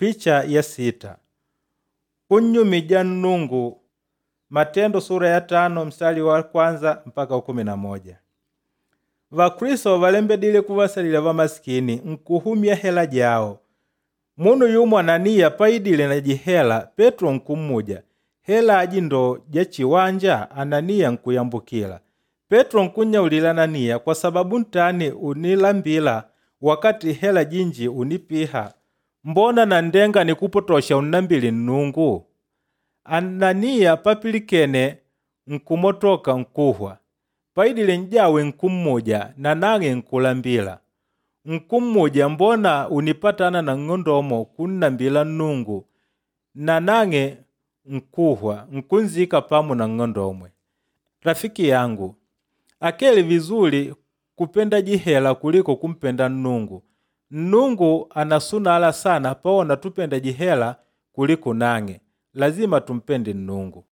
Picha ya 6. Kunnyumija Nnungu. Matendo sura ya 5 mstari wa kwanza mpaka wa 11. Vakristo valembedile kuvasalila vamasikini nkuhumya hela jawo. Munu yumo Ananiya paidile na jihela, Petro nkummuja, hela aji ndo ja chiwanja? Ananiya nkuyambukila. Petro nkunnyaulila Ananiya, kwa sababu ntani unilambila wakati hela jinji unipiha, mbona nanndenga nikupotosha unnambile Nnungu? Ananiya papilikene nkumotoka nkuhwa. Paidile n'jawe nkummuja na nang'e nkulambila. Nkummuja mbona unipatana na ng'ondomo kunnambila Nnungu, na nang'e nkuhwa nkunzika pamo na ng'ondomwe. Rafiki yangu, akele vizuri kupenda jihela kuliko kumpenda Nnungu. Nnungu anasunala sana paona tupenda jihela kuliko nang'e. Lazima tumpende Nnungu.